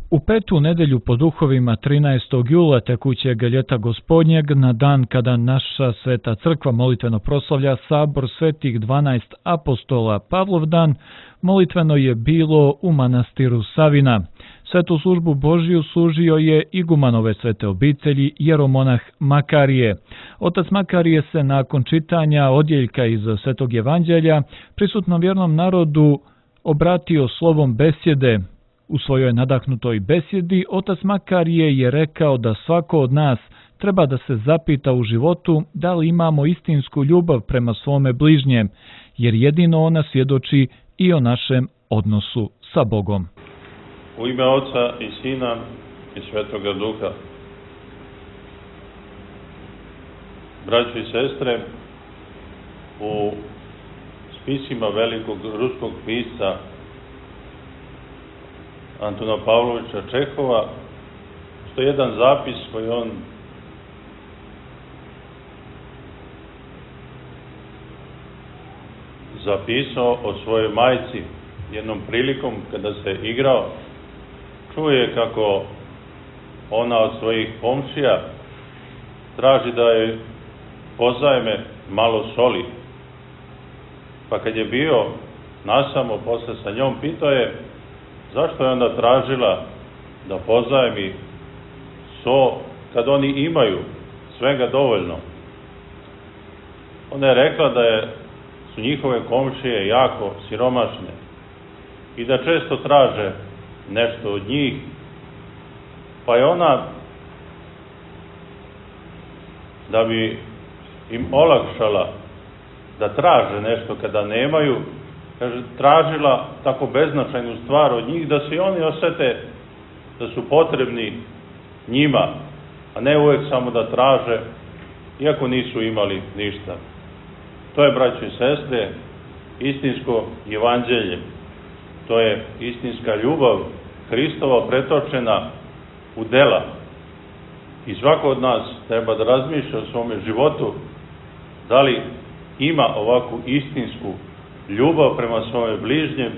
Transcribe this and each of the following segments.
U petu nedelju po duhovima 13. jula tekućeg ljeta Gospodnjeg, na dan kada naša Sveta crkva molitveno proslavlja sabor svetih 12 apostola Pavlovdan, molitveno je bilo u manastiru Savina. Svetu službu Božiju služio je igumanove svete obitelji jeromonah Makarije. Otac Makarije se nakon čitanja odjeljka iz Svetog evanđelja prisutnom vjernom narodu obratio slovom besjede. U svojoj nadahnutoj besjedi otac Makarije je rekao da svako od nas treba da se zapita u životu da li imamo istinsku ljubav prema svome bližnjem, jer jedino ona svjedoči i o našem odnosu sa Bogom. U ime Oca i Sina i Svetoga Duha. Braćo i sestre, u spisima velikog ruskog pisca Antuna Pavlovića Čehova postoji jedan zapis koji on zapisao o svojoj majci. Jednom prilikom kada se igrao, čuje kako ona od svojih komšija traži da je pozajme malo soli. Pa kad je bio nasamo posle sa njom, pitao je zašto je onda tražila da pozajmi so kad oni imaju svega dovoljno. Ona je rekla da su njihove komšije jako siromašne i da često traže nešto od njih, pa je ona, da bi im olakšala da traže nešto kada nemaju, kaže, tražila tako beznačajnu stvar od njih da se i oni osete da su potrebni njima, a ne uvek samo da traže, iako nisu imali ništa. To je, braćo i sestre, istinsko evanđelje. To je istinska ljubav Hristova pretočena u dela. I svako od nas treba da razmišlja o svome životu da li ima ovakvu istinsku ljubav prema svome bližnjem,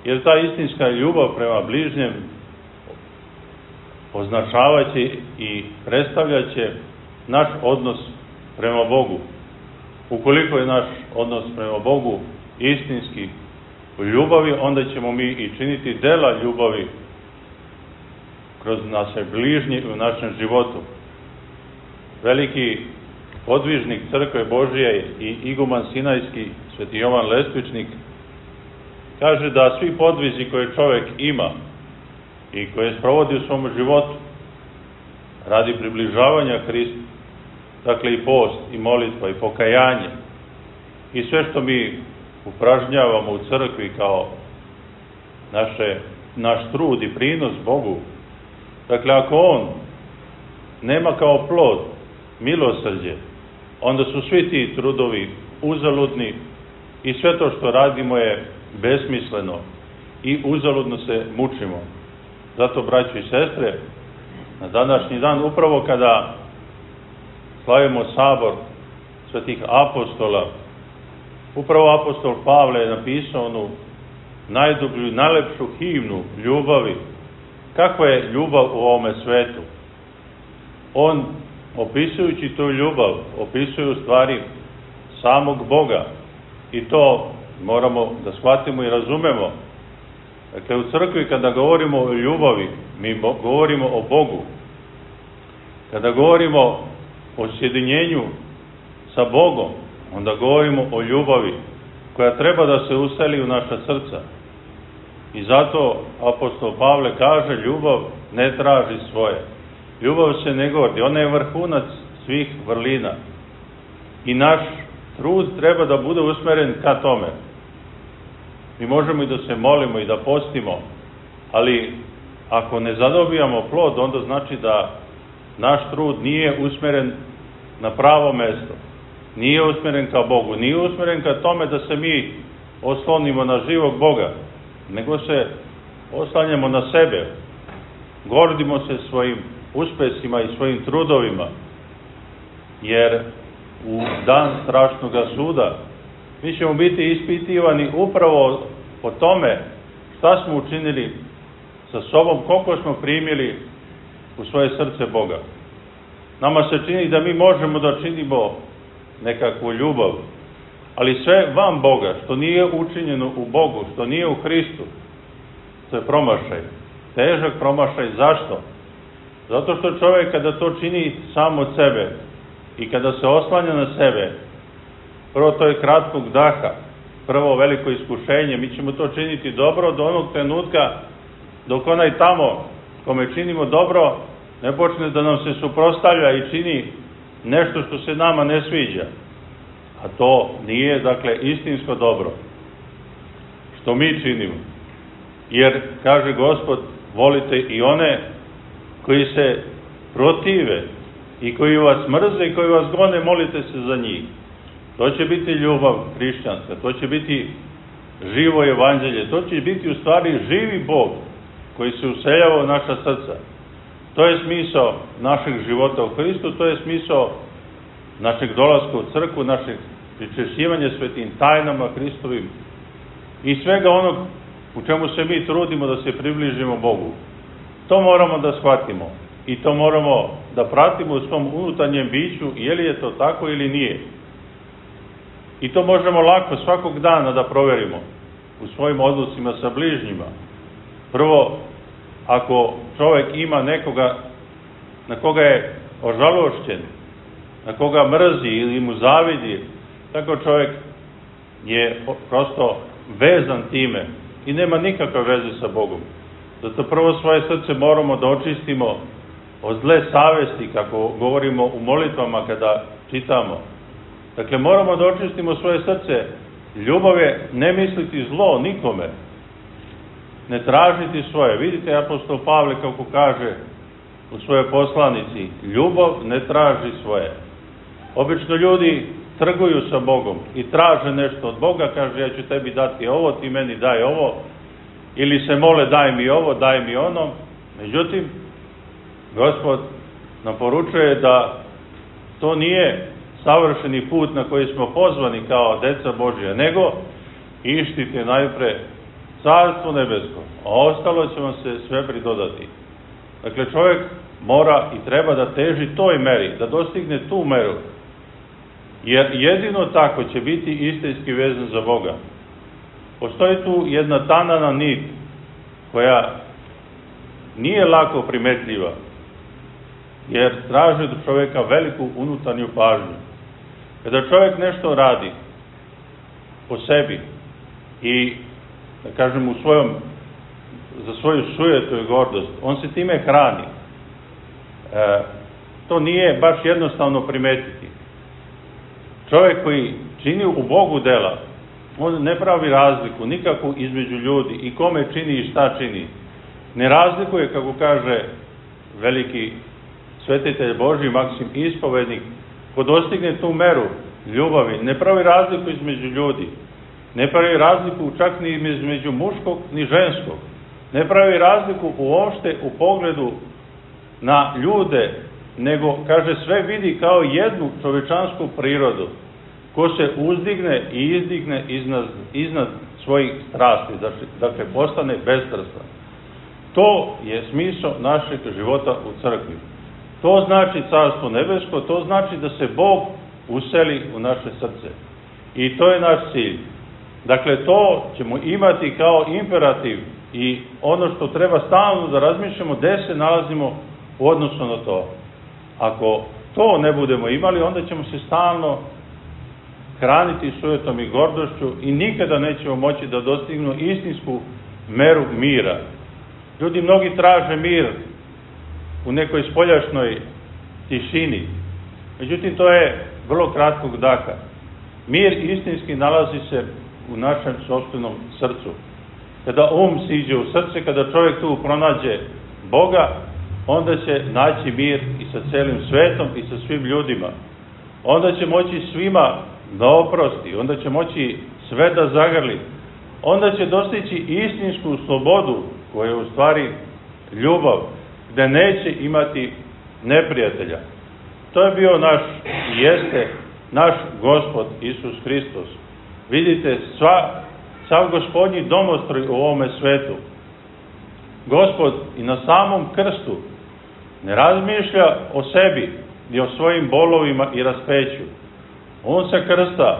jer ta istinska ljubav prema bližnjem označavaće i predstavljaće naš odnos prema Bogu. Ukoliko je naš odnos prema Bogu istinski u ljubavi, onda ćemo mi i činiti dela ljubavi kroz naše bližnje u našem životu. Veliki podvižnik Crkve Božije i iguman Sinajski, Sveti Jovan Lestvičnik, kaže da svi podvizi koje čovjek ima i koje sprovodi u svom životu radi približavanja Hristu, dakle i post, i molitva, i pokajanje, i sve što mi upražnjavamo u crkvi kao naš trud i prinos Bogu, dakle ako on nema kao plod milosrđe, onda su svi ti trudovi uzaludni i sve to što radimo je besmisleno i uzaludno se mučimo. Zato, braćo i sestre, na današnji dan, upravo kada slavimo sabor svetih apostola, upravo apostol Pavle je napisao onu najdublju i najlepšu himnu ljubavi. Kakva je ljubav u ovome svetu? On, opisujući tu ljubav, opisuje u stvari samog Boga. I to moramo da shvatimo i razumemo. Dakle, u crkvi kada govorimo o ljubavi, mi govorimo o Bogu. Kada govorimo o sjedinjenju sa Bogom, onda govorimo o ljubavi koja treba da se useli u naša srca. I zato apostol Pavle kaže, ljubav ne traži svoje. Ljubav se ne gordi, ona je vrhunac svih vrlina. I naš trud treba da bude usmeren ka tome. Mi možemo i da se molimo i da postimo, ali ako ne zadobijamo plod, onda znači da naš trud nije usmeren na pravo mesto. Nije usmeren ka Bogu, nije usmeren ka tome da se mi oslonimo na živog Boga, nego se oslanjamo na sebe. Gordimo se svojim uspesima i svojim trudovima, jer u dan strašnog suda mi ćemo biti ispitivani upravo po tome šta smo učinili sa sobom, koliko smo primili u svoje srce Boga. Nama se čini da mi možemo da činimo nekakvu ljubav, ali sve van Boga, što nije učinjeno u Bogu, što nije u Hristu, to je promašaj. Težak promašaj. Zašto? Zato što čovjek kada to čini sam od sebe i kada se oslanja na sebe, prvo to je kratkog daha, prvo veliko iskušenje, mi ćemo to činiti dobro do onog trenutka dok onaj tamo kome činimo dobro ne počne da nam se suprotstavlja i čini nešto što se nama ne sviđa. A to nije, dakle, istinsko dobro što mi činimo. Jer, kaže Gospod, volite i one koji se protive i koji vas mrze i koji vas gone, molite se za njih. To će biti ljubav hrišćanska, to će biti živo evanđelje, to će biti u stvari živi Bog koji se useljava u naša srca. To je smisao našeg života u Hristu, to je smisao našeg dolaska u crkvu, našeg pričešćivanja svetim tajnama Hristovim i svega onog u čemu se mi trudimo da se približimo Bogu. To moramo da shvatimo i to moramo da pratimo u svom unutarnjem biću, je li je to tako ili nije. I to možemo lako svakog dana da proverimo u svojim odnosima sa bližnjima. Prvo, ako čovjek ima nekoga na koga je ožalošćen, na koga mrzi ili mu zavidi, tako čovjek je prosto vezan time i nema nikakve veze sa Bogom. Zato prvo svoje srce moramo da očistimo od zle savesti, kako govorimo u molitvama kada čitamo. Dakle, moramo da očistimo svoje srce. Ljubav je ne misliti zlo nikome, ne tražiti svoje. Vidite, apostol Pavle kako kaže u svojoj poslanici, ljubav ne traži svoje. Obično ljudi trguju sa Bogom i traže nešto od Boga, kaže ja ću tebi dati ovo, ti meni daj ovo, ili se mole daj mi ovo, daj mi ono. Međutim, Gospod nam poručuje da to nije savršeni put na koji smo pozvani kao deca Božja, nego ištite najpre Carstvo nebesko, a ostalo će vam se sve pridodati. Dakle, čovjek mora i treba da teži toj meri, da dostigne tu meru, jer jedino tako će biti istinski vezan za Boga. Postoji tu jedna tanana nit koja nije lako primetljiva, jer traži od čovjeka veliku unutarnju pažnju. Kada čovjek nešto radi po sebi i, da kažem, za svoju sujetu i gordost, on se time hrani. To nije baš jednostavno primetiti. Čovjek koji čini u Bogu dela, on ne pravi razliku nikakvu između ljudi i kome čini i šta čini. Ne razlikuje, kako kaže veliki svetitelj Božji Maksim Ispovednik, ko dostigne tu meru ljubavi, ne pravi razliku između ljudi, ne pravi razliku čak ni između muškog ni ženskog, ne pravi razliku uopšte u pogledu na ljude, nego, kaže, sve vidi kao jednu čovečansku prirodu, ko se uzdigne i izdigne iznad svojih strasti, dakle postane bestrastan. To je smisao našeg života u crkvi. To znači Carstvo nebesko, to znači da se Bog useli u naše srce. I to je naš cilj. Dakle, to ćemo imati kao imperativ i ono što treba stalno da razmišljamo, gde se nalazimo u odnosu na to. Ako to ne budemo imali, onda ćemo se stalno hraniti sujetom i gordošću i nikada nećemo moći da dostignu istinsku meru mira. Ljudi mnogi traže mir u nekoj spoljašnjoj tišini. Međutim, to je vrlo kratkog daha. Mir istinski nalazi se u našem sopstvenom srcu. Kada siđe u srce, kada čovjek tu pronađe Boga, onda će naći mir i sa celim svetom i sa svim ljudima. Onda će moći svima da oprosti, onda će moći sve da zagrli. Onda će dostići istinsku slobodu, koja je u stvari ljubav, gde neće imati neprijatelja. To je bio naš i jeste naš Gospod Isus Hristos. Vidite, sav gospodnji domostroj u ovome svetu Gospod i na samom krstu ne razmišlja o sebi i o svojim bolovima i raspeću. On se krsta,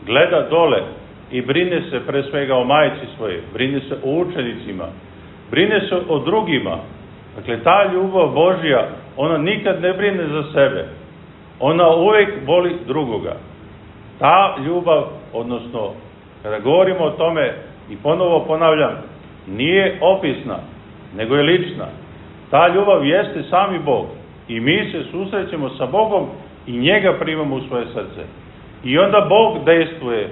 gleda dole i brine se pre svega o majci svoje, brine se o učenicima, brine se o drugima. Dakle, ta ljubav Božja, ona nikad ne brine za sebe. Ona uvek voli drugoga. Ta ljubav, odnosno, kada govorimo o tome, i ponovo ponavljam, nije opisna, nego je lična. Ta ljubav jeste sami Bog. I mi se susrećemo sa Bogom i njega primamo u svoje srce. I onda Bog dejstvuje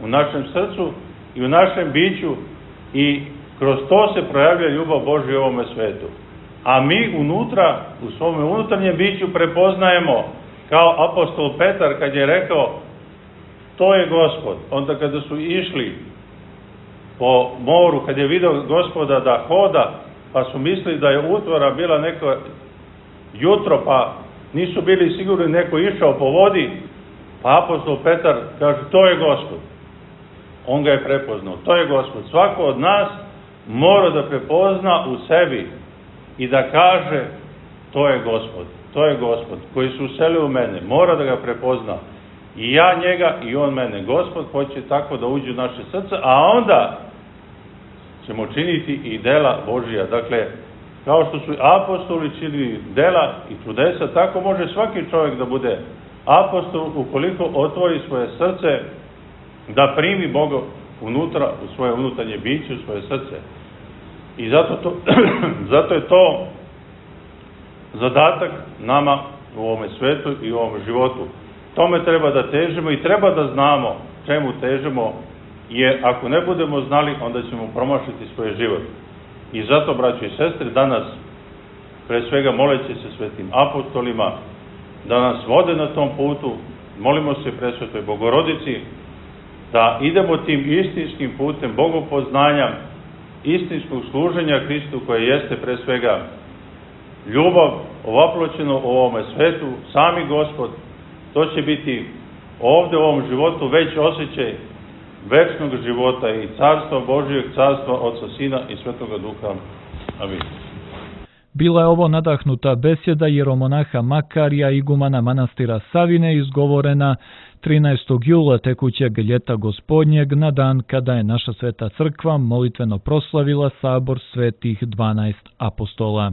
u našem srcu i u našem biću i kroz to se projavlja ljubav Božja u ovome svetu. A mi unutra, u svome unutarnjem biću prepoznajemo, kao apostol Petar kad je rekao to je Gospod. Onda kada su išli po moru, kad je video Gospoda da hoda, pa su mislili da je utvora bila neko jutro, pa nisu bili sigurni, neko išao po vodi, pa apostol Petar kaže to je Gospod. On ga je prepoznao, to je Gospod. Svako od nas mora da prepozna u sebi i da kaže to je Gospod, to je Gospod koji se uselio u mene, mora da ga prepozna. I ja njega i on mene. Gospod hoće tako da uđe u naše srce, a onda ćemo činiti i dela Božija. Dakle, kao što su apostoli činili dela i čudesa, tako može svaki čovjek da bude apostol ukoliko otvori svoje srce da primi Boga unutra, u svoje unutarnje biće, u svoje srce. I zato je to zadatak nama u ovome svetu i u ovom životu. Tome treba da težimo i treba da znamo čemu težimo, jer ako ne budemo znali, onda ćemo promašiti svoj život. I zato, braćo i sestre, danas, pre svega moleći se svetim apostolima, da nas vode na tom putu, molimo se presvetoj Bogorodici, da idemo tim istinskim putem bogopoznanja, istinskog služenja Hristu, koje jeste pre svega ljubav ovaploćeno u ovome svetu, sami Gospod. To će biti ovde u ovom životu već osjećaj večnog života i carstva Božijeg, carstva Otca, Sina i Svetoga Duha. Amin. Bila je ovo nadahnuta besjeda jeromonaha Makarija, igumana manastira Savine, izgovorena 13. jula tekućeg ljeta Gospodnjeg, na dan kada je naša Sveta Crkva molitveno proslavila sabor svetih 12 apostola.